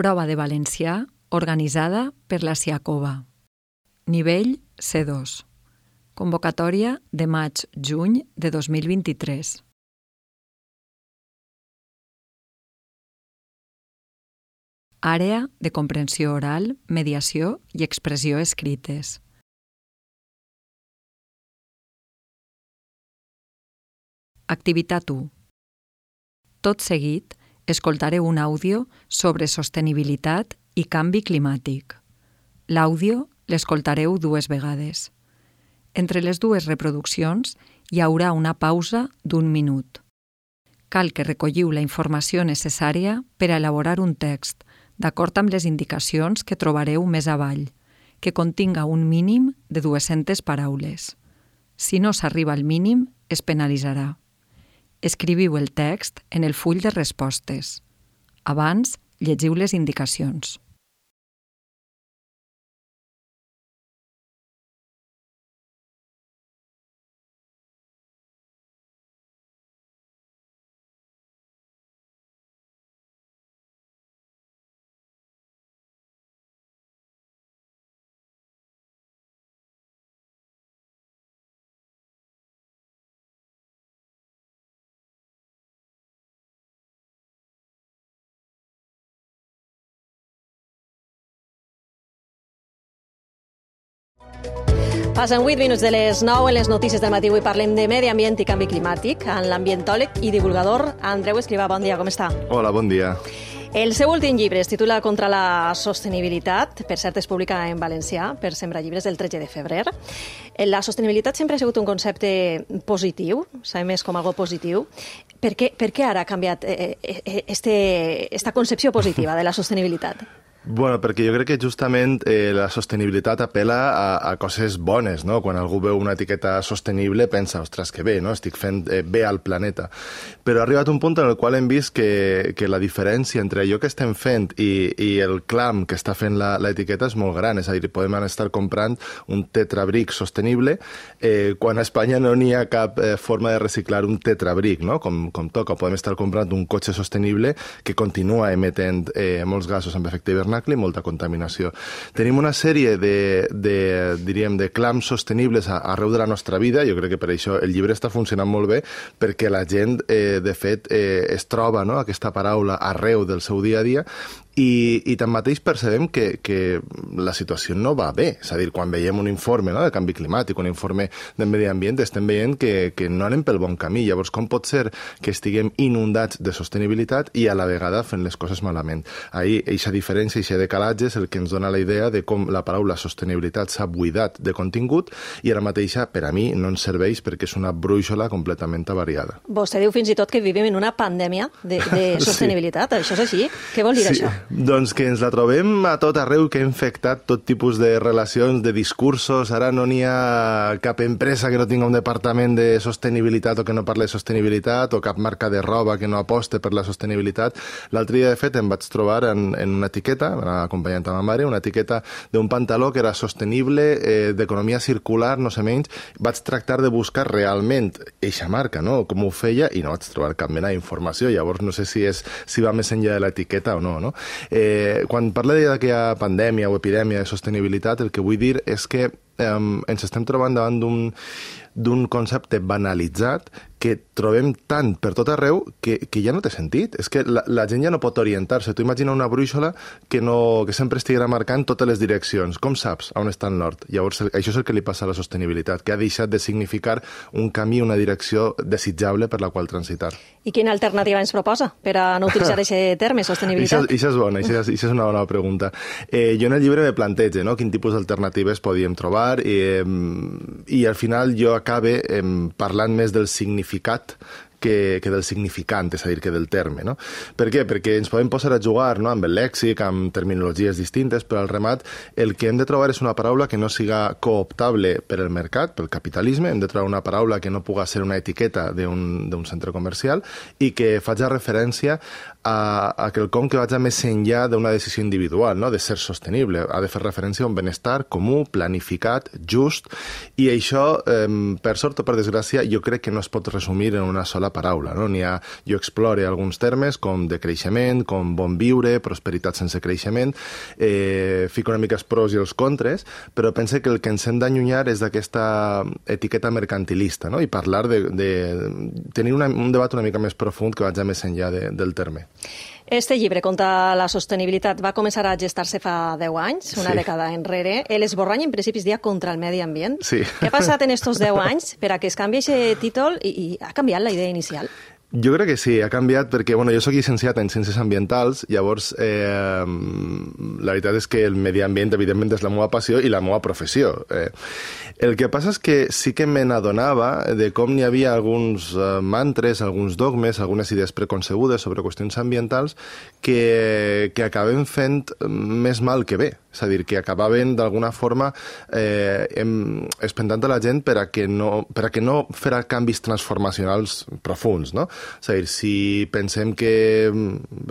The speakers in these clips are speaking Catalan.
Prova de valencià organitzada per la Siacova. Nivell C2. Convocatòria de maig-juny de 2023. Àrea de comprensió oral, mediació i expressió escrites. Activitat 1. Tot seguit, escoltareu un àudio sobre sostenibilitat i canvi climàtic. L'àudio l'escoltareu 2 vegades. Entre les 2 reproduccions hi haurà una pausa d'1 minut. Cal que recolliu la informació necessària per a elaborar un text, d'acord amb les indicacions que trobareu més avall, que continga un mínim de 200 paraules. Si no s'arriba al mínim, es penalitzarà. Escriviu el text en el full de respostes. Abans, llegiu les indicacions. Passen 8 minuts de les 9 en les notícies del matí. Avui parlem de medi ambient i canvi climàtic amb l'ambientòleg i divulgador Andreu Escrivà. Bon dia, com està? Hola, bon dia. El seu últim llibre es titula Contra la sostenibilitat. Per cert, es publica en valencià per Sembra Llibres el 13 de febrer. La sostenibilitat sempre ha sigut un concepte positiu, sabem més com algo positiu. Per què ara ha canviat esta concepció positiva de la sostenibilitat? Bueno, perquè jo crec que justament la sostenibilitat apela a coses bones, no? Quan algú veu una etiqueta sostenible pensa, ostres, que bé, no? Estic fent bé al planeta. Però ha arribat un punt en el qual hem vist que la diferència entre allò que estem fent i el clam que està fent l'etiqueta és molt gran. És a dir, podem estar comprant un tetrabric sostenible quan a Espanya no n'hi ha cap forma de reciclar un tetrabric, no? Com toca. Podem estar comprant un cotxe sostenible que continua emetent molts gasos amb efecte hivernacle i molta contaminació. Tenim una sèrie de clams sostenibles arreu de la nostra vida. Jo crec que per això el llibre està funcionant molt bé, perquè la gent, de fet, es troba, no?, aquesta paraula arreu del seu dia a dia, i tanmateix percebem que la situació no va bé. És a dir, quan veiem un informe, no?, de canvi climàtic, un informe de medi ambient, estem veient que no anem pel bon camí. Llavors, com pot ser que estiguem inundats de sostenibilitat i a la vegada fent les coses malament? Ahir, aquesta diferència, aquest decalatge és el que ens dona la idea de com la paraula sostenibilitat s'ha buidat de contingut i ara mateixa, per a mi, no ens serveix perquè és una brúixola completament avariada. Vostè diu fins i tot que vivim en una pandèmia de sostenibilitat. Sí. Això és així? Què vol dir això? Doncs que ens la trobem a tot arreu, que ha infectat tot tipus de relacions, de discursos. Ara no n'hi ha cap empresa que no tinga un departament de sostenibilitat o que no parli de sostenibilitat, o cap marca de roba que no aposte per la sostenibilitat. L'altre dia, de fet, em vaig trobar en una etiqueta, acompanyant a ma mare, una etiqueta d'un pantaló que era sostenible, d'economia circular, no sé menys. Vaig tractar de buscar realment eixa marca, no?, com ho feia, i no vaig trobar cap mena d'informació. Llavors no sé si va més enllà de l'etiqueta o no, no? Quan parla d'aquella pandèmia o epidèmia de sostenibilitat, el que vull dir és que ens estem trobant davant d'un concepte banalitzat que trobem tant per tot arreu que ja no té sentit. És que la gent ja no pot orientar-se. Tu imagina una brúixola que sempre estiguera marcant totes les direccions. Com saps on està el nord? Llavors, això és el que li passa a la sostenibilitat, que ha deixat de significar un camí, una direcció desitjable per la qual transitar. I quina alternativa ens proposa per a no utilitzar aquest terme, sostenibilitat? Això és bona, això és una bona pregunta. Jo en el llibre me plantejo, no?, quin tipus d'alternatives podíem trobar i al final jo acabe parlant més del significat que del significant, és a dir, que del terme, no? Per què? Perquè ens podem posar a jugar, no?, amb el lèxic, amb terminologies distintes, però al remat el que hem de trobar és una paraula que no siga cooptable per el mercat, pel capitalisme. Hem de trobar una paraula que no puga ser una etiqueta d'un centre comercial i que faci referència a quelcom que vagi més enllà d'una decisió individual, no?, de ser sostenible. Ha de fer referència a un benestar comú, planificat, just, i això, per sort o per desgràcia, jo crec que no es pot resumir en una sola la paraula, no? Jo explore alguns termes com de creixement, com bon viure, prosperitat sense creixement, fico una mica els pros i els contres, però pense que el que ens hem d'allunyar és d'aquesta etiqueta mercantilista, no? I parlar de tenir un debat una mica més profund que vagi més enllà del terme. Este llibre contra la sostenibilitat va començar a gestar-se fa 10 anys, una dècada enrere. L'esborrany, en principi, es deia contra el medi ambient. Sí. Què ha passat en estos 10 anys per a que es canvi aquest títol i ha canviat la idea inicial? Jo crec que sí, ha canviat perquè, jo soc llicenciat en Ciències Ambientals, llavors la veritat és que el medi ambient, evidentment, és la meva passió i la meva professió. El que passa és que sí que me n'adonava de com n'hi havia alguns mantres, alguns dogmes, algunes idees preconcebudes sobre qüestions ambientals que acaben fent més mal que bé. És a dir, que acabaven d'alguna forma espentant a la gent per a que no farà canvis transformacionals profuns, no? És a dir, si pensem que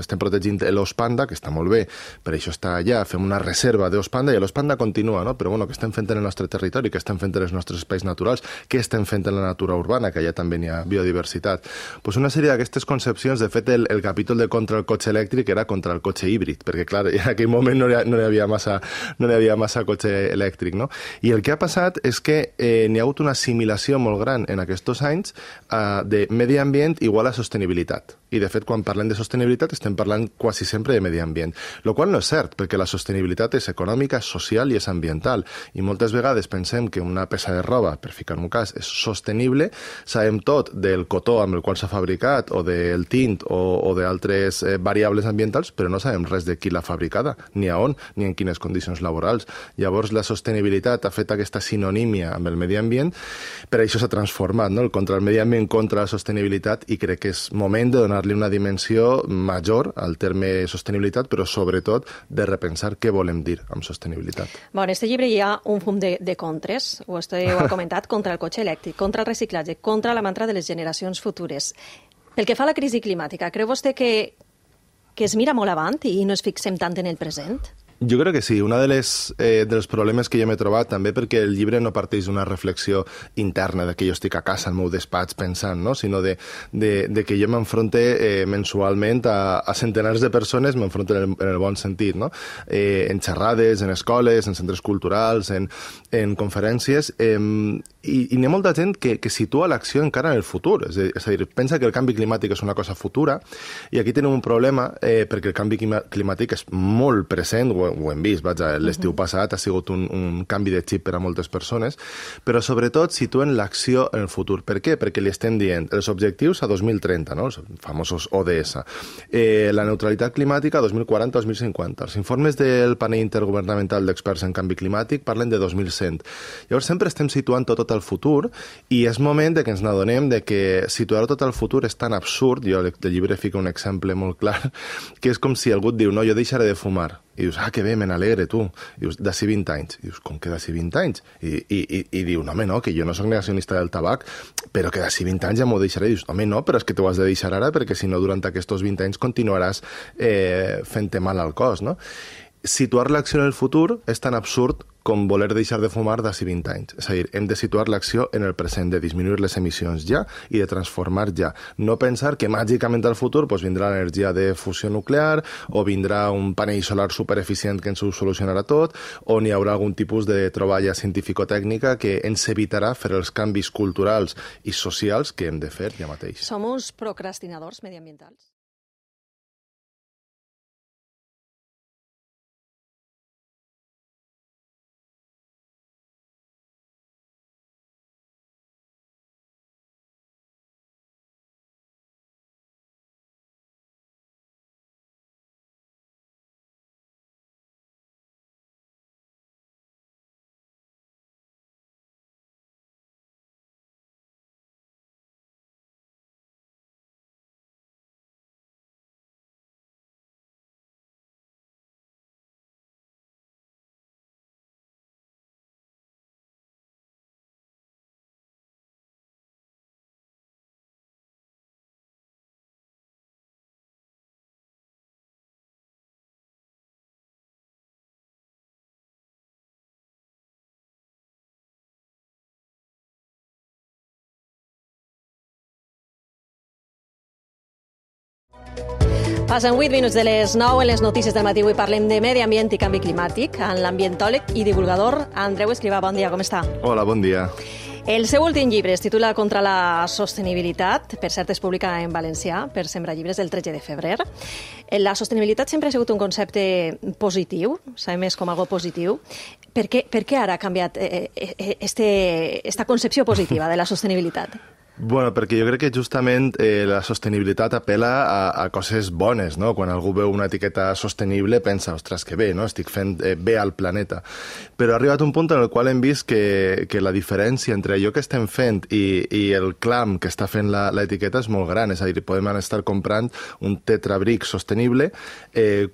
estem protegint l'os panda, que està molt bé, per això està allà, fem una reserva d'os panda i l'os panda continua, no? Però què estem fent en el nostre territori, què estem fent en els nostres espais naturals, què estem fent en la natura urbana, que allà també n'hi ha biodiversitat. Pues una sèrie d'aquestes concepcions, de fet, el capítol de contra el cotxe elèctric era contra el cotxe híbrid, perquè, clar, en aquell moment no hi havia massa cotxe elèctric, no? I el que ha passat és que n'hi ha hagut una assimilació molt gran en aquests anys de medi ambient igual a sostenibilitat. I, de fet, quan parlem de sostenibilitat estem parlant quasi sempre de medi ambient, el qual no és cert, perquè la sostenibilitat és econòmica, és social i és ambiental. I moltes vegades pensem que una peça de roba, per ficar-me un cas, és sostenible, sabem tot del cotó amb el qual s'ha fabricat, o del tint, o d'altres variables ambientals, però no sabem res de qui l'ha fabricada, ni a on, ni en quines condicions laborals. Llavors, la sostenibilitat ha fet aquesta sinonímia amb el medi ambient, per això s'ha transformat, no? El contra el medi ambient, contra la sostenibilitat, i crec que és moment de donar-li una dimensió major al terme sostenibilitat, però sobretot de repensar què volem dir amb sostenibilitat. En este llibre hi ha un fum de contres, ho ha comentat, contra el cotxe elèctric, contra el reciclatge, contra la mantra de les generacions futures. Pel que fa a la crisi climàtica, creu vostè que es mira molt avant i no es fixem tant en el present? Jo crec que sí. Un dels problemes que jo m'he trobat, també perquè el llibre no parteix d'una reflexió interna, de que jo estic a casa al meu despatx pensant, no? Sinó de que jo m'enfronte mensualment a centenars de persones, m'enfronto en el bon sentit, no? En xerrades, en escoles, en centres culturals, en conferències, i n'hi ha molta gent que situa l'acció encara en el futur. És a dir, pensa que el canvi climàtic és una cosa futura, i aquí tenim un problema perquè el canvi climàtic és molt present, ho hem vist, l'estiu passat ha sigut un canvi de xip per a moltes persones, però sobretot situen l'acció en el futur. Per què? Perquè li estem dient els objectius a 2030, no? Els famosos ODS, la neutralitat climàtica a 2040-2050. Els informes del panell intergovernamental d'experts en canvi climàtic parlen de 2100. Llavors sempre estem situant tot al futur, i és moment de que ens n'adonem de que situar tot al futur és tan absurd. Jo al llibre fico un exemple molt clar, que és com si algú et diu, no, jo deixaré de fumar. I dius, que bé, me n'alegre, tu. I dius, d'ací 20 anys. I dius, com que d'ací 20 anys? I diu, no, home, no, que jo no soc negacionista del tabac, però que d'ací 20 anys ja m'ho deixaré. I dius, home, no, però és que t'ho has de deixar ara, perquè si no, durant aquests 20 anys continuaràs fent-te mal al cos, no? Situar l'acció en el futur és tan absurd com voler deixar de fumar d'ací 20 anys. És a dir, hem de situar l'acció en el present, de disminuir les emissions ja i de transformar ja. No pensar que màgicament al futur vindrà l'energia de fusió nuclear, o vindrà un panell solar supereficient que ens ho solucionarà tot, o n'hi haurà algun tipus de troballa científico-tècnica que ens evitarà fer els canvis culturals i socials que hem de fer ja mateix. Som uns procrastinadors mediambientals? Passen 8 minuts de les 9 en les notícies del matí. Avui parlem de medi ambient i canvi climàtic amb l'ambientòleg i divulgador Andreu Escrivà. Bon dia, com està? Hola, bon dia. El seu últim llibre es titula Contra la sostenibilitat, per cert es publica en valencià, per Sembra Llibres, el 13 de febrer. La sostenibilitat sempre ha sigut un concepte positiu, sabem més com algo positiu. Per què ara ha canviat esta concepció positiva de la sostenibilitat? Bueno, perquè jo crec que justament la sostenibilitat apela a coses bones, no? Quan algú veu una etiqueta sostenible pensa, ostres, que bé, no? Estic fent bé al planeta. Però ha arribat un punt en el qual hem vist que la diferència entre allò que estem fent i el clam que està fent l'etiqueta és molt gran. És a dir, podem estar comprant un tetrabric sostenible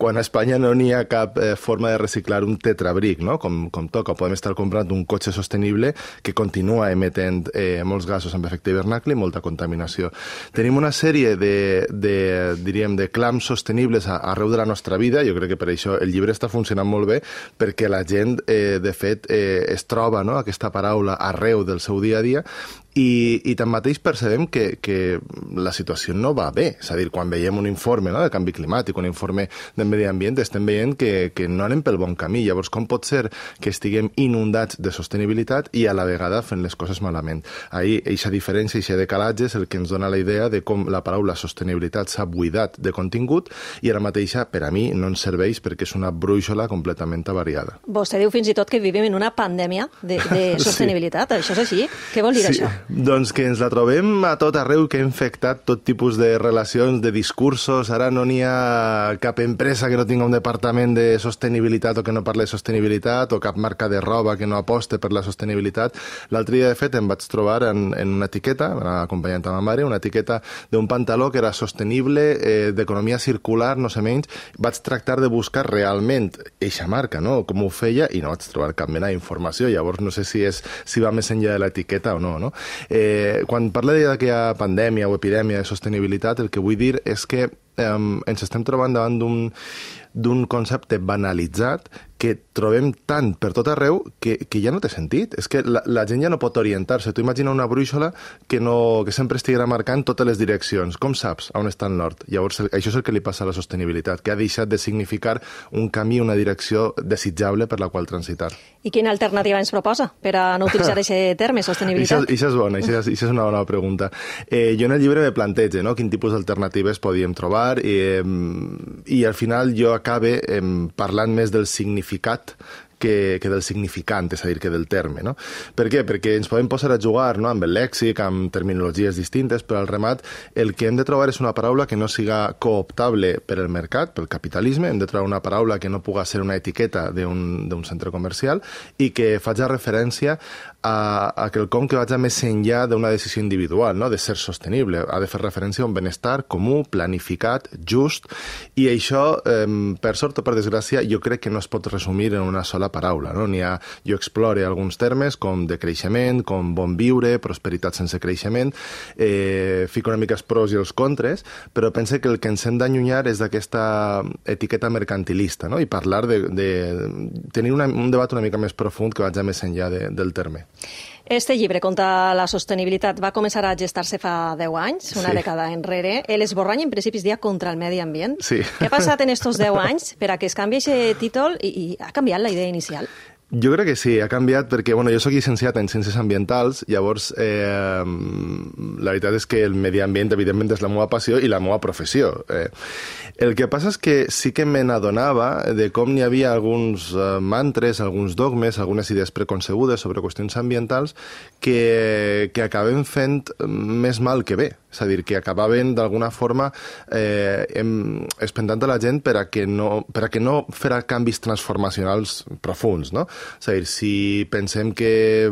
quan a Espanya no n'hi ha cap forma de reciclar un tetrabric, no? Com toca. Podem estar comprant un cotxe sostenible que continua emetent molts gasos amb efecte hivernacle i molta contaminació. Tenim una sèrie de clams sostenibles arreu de la nostra vida. Jo crec que per això el llibre està funcionant molt bé, perquè la gent, de fet, es troba, no?, aquesta paraula arreu del seu dia a dia, i tanmateix percebem que la situació no va bé. És a dir, quan veiem un informe, no?, de canvi climàtic, un informe de medi ambient, estem veient que no anem pel bon camí. Llavors, com pot ser que estiguem inundats de sostenibilitat i a la vegada fent les coses malament? Ahir, aquesta diferència, aquest decalatge és el que ens dona la idea de com la paraula sostenibilitat s'ha buidat de contingut i ara mateixa, per a mi, no ens serveix perquè és una brúixola completament avariada. Vostè diu fins i tot que vivim en una pandèmia de sostenibilitat. Sí. Això és així? Què vol dir això? Doncs que ens la trobem a tot arreu, que ha infectat tot tipus de relacions, de discursos. Ara no n'hi ha cap empresa que no tingui un departament de sostenibilitat o que no parli de sostenibilitat, o cap marca de roba que no aposte per la sostenibilitat. L'altre dia, de fet, em vaig trobar en una etiqueta, acompanyant a ma mare, una etiqueta d'un pantaló que era sostenible, d'economia circular, no sé menys. Vaig tractar de buscar realment eixa marca, no?, com ho feia, i no vaig trobar cap mena d'informació. Llavors no sé si va més enllà de l'etiqueta o no, no? Quan parla d'aquella pandèmia o epidèmia de sostenibilitat, el que vull dir és que ens estem trobant davant d'un concepte banalitzat que trobem tant per tot arreu que ja no té sentit. És que la gent ja no pot orientar-se. Tu imagina una brúixola que sempre estiguera marcant totes les direccions. Com saps on està el nord? Llavors, això és el que li passa a la sostenibilitat, que ha deixat de significar un camí, una direcció desitjable per la qual transitar. I quina alternativa ens proposa per a no utilitzar aquest terme, sostenibilitat? Això és bona, això és una bona pregunta. Jo en el llibre me plantejo, no?, quin tipus d'alternatives podíem trobar i al final jo acabe parlant més del significat que del significant, és a dir, que del terme, no? Per què? Perquè ens podem posar a jugar, no?, amb el lèxic, amb terminologies distintes, però al remat el que hem de trobar és una paraula que no siga cooptable per el mercat, pel capitalisme. Hem de trobar una paraula que no puga ser una etiqueta d'un centre comercial i que faci referència a quelcom que vagi més enllà d'una decisió individual, no?, de ser sostenible. Ha de fer referència a un benestar comú, planificat, just, i això, per sort o per desgràcia, jo crec que no es pot resumir en una sola paraula, no? Jo explore alguns termes com de creixement, com bon viure, prosperitat sense creixement, fico una mica els pros i els contres, però pense que el que ens hem d'allunyar és d'aquesta etiqueta mercantilista, no?, i parlar de tenir un debat una mica més profund que vagi més enllà del terme. Este llibre, Contra la sostenibilitat, va començar a gestar-se fa 10 anys, una dècada enrere. L'esborrany, en principi, es deia Contra el medi ambient. Sí. Què ha passat en estos 10 anys per a que es canvi aquest títol i ha canviat la idea inicial? Jo crec que sí, ha canviat perquè jo soc llicenciat en Ciències Ambientals, llavors la veritat és que el medi ambient evidentment és la meva passió i la meva professió. El que passa és que sí que me n'adonava de com n'hi havia alguns mantres, alguns dogmes, algunes idees preconcebudes sobre qüestions ambientals que acaben fent més mal que bé. És a dir, que acabaven d'alguna forma espentant a la gent per a que no farà canvis transformacionals profuns, no? És a dir, si pensem que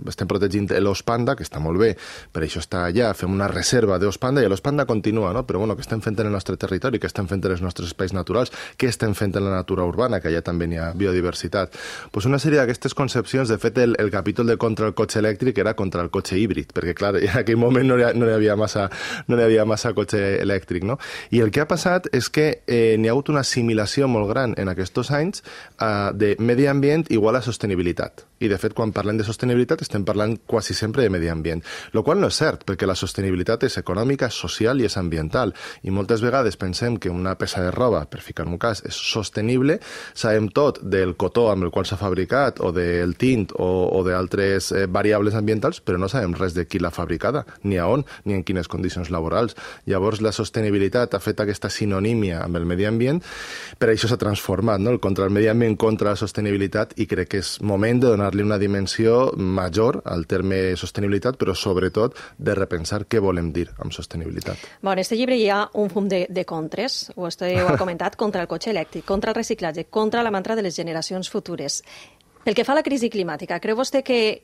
estem protegint l'os panda, que està molt bé, per això està allà, fem una reserva d'os panda i l'os panda continua, no? Però què estem fent en el nostre territori, què estem fent en els nostres espais naturals, què estem fent en la natura urbana, que allà també hi ha biodiversitat. Pues una sèrie d'aquestes concepcions, de fet, el capítol de contra el cotxe elèctric era contra el cotxe híbrid, perquè, clar, en aquell moment no hi havia massa cotxe elèctric, no? I el que ha passat és que n'hi ha hagut una assimilació molt gran en aquests anys de medi ambient igual a sostenibilitat. I, de fet, quan parlem de sostenibilitat estem parlant quasi sempre de medi ambient. Lo qual no és cert, perquè la sostenibilitat és econòmica, és social i és ambiental. I moltes vegades pensem que una peça de roba, per ficar un cas, és sostenible, sabem tot del cotó amb el qual s'ha fabricat, o del tint, o d'altres variables ambientals, però no sabem res de qui l'ha fabricada, ni a on, ni en quines condicions laborals. Llavors, la sostenibilitat ha fet aquesta sinonímia amb el medi ambient, per això s'ha transformat, no? El contra el medi ambient contra la sostenibilitat, i crec que és moment de donar-li una dimensió major al terme sostenibilitat, però sobretot de repensar què volem dir amb sostenibilitat. En este llibre hi ha un fum de contres, ho ha comentat, contra el cotxe elèctric, contra el reciclatge, contra la mantra de les generacions futures. Pel que fa a la crisi climàtica, creu vostè que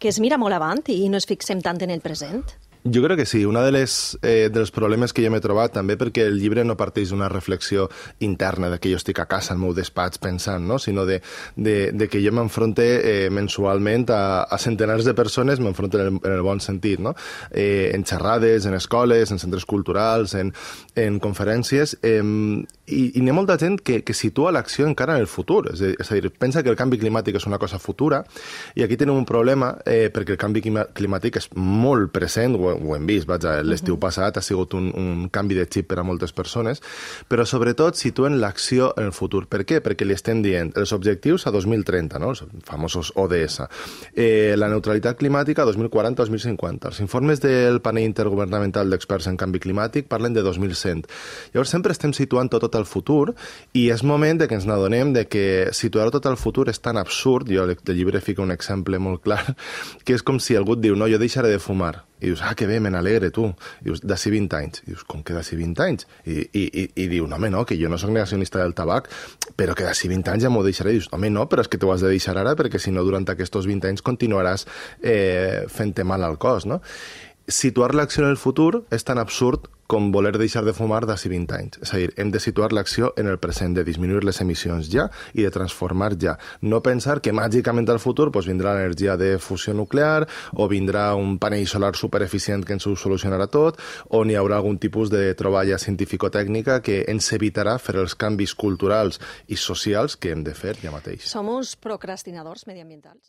es mira molt avant i no es fixem tant en el present? Jo crec que sí. Un dels problemes que jo m'he trobat, també perquè el llibre no parteix d'una reflexió interna, de que jo estic a casa al meu despatx pensant, no? Sinó de que jo m'enfronte mensualment a centenars de persones, m'enfronto en el bon sentit, no? En xerrades, en escoles, en centres culturals, en conferències, i n'hi ha molta gent que situa l'acció encara en el futur. És a dir, pensa que el canvi climàtic és una cosa futura, i aquí tenim un problema perquè el canvi climàtic és molt present, ho hem vist, l'estiu passat ha sigut un canvi de xip per a moltes persones, però sobretot situen l'acció en el futur. Per què? Perquè li estem dient els objectius a 2030, no? Els famosos ODS, la neutralitat climàtica a 2040-2050. Els informes del panell intergovernamental d'experts en canvi climàtic parlen de 2100. Llavors sempre estem situant tot al futur, i és moment de que ens n'adonem de que situar-ho tot al futur és tan absurd. Jo al llibre fico un exemple molt clar, que és com si algú et diu, no, jo deixaré de fumar. I dius, que bé, me n'alegre, tu. I dius, d'ací 20 anys. I dius, com que d'ací 20 anys? I diu, no, home, no, que jo no soc negacionista del tabac, però que d'ací 20 anys ja m'ho deixaré. I dius, home, no, però és que t'ho has de deixar ara, perquè si no, durant aquests 20 anys continuaràs fent-te mal al cos, no? Situar l'acció en el futur és tan absurd com voler deixar de fumar d'ací 20 anys. És a dir, hem de situar l'acció en el present, de disminuir les emissions ja i de transformar ja. No pensar que màgicament al futur vindrà l'energia de fusió nuclear, o vindrà un panell solar supereficient que ens ho solucionarà tot, o n'hi haurà algun tipus de troballa científico-tècnica que ens evitarà fer els canvis culturals i socials que hem de fer ja mateix. Som uns procrastinadors mediambientals?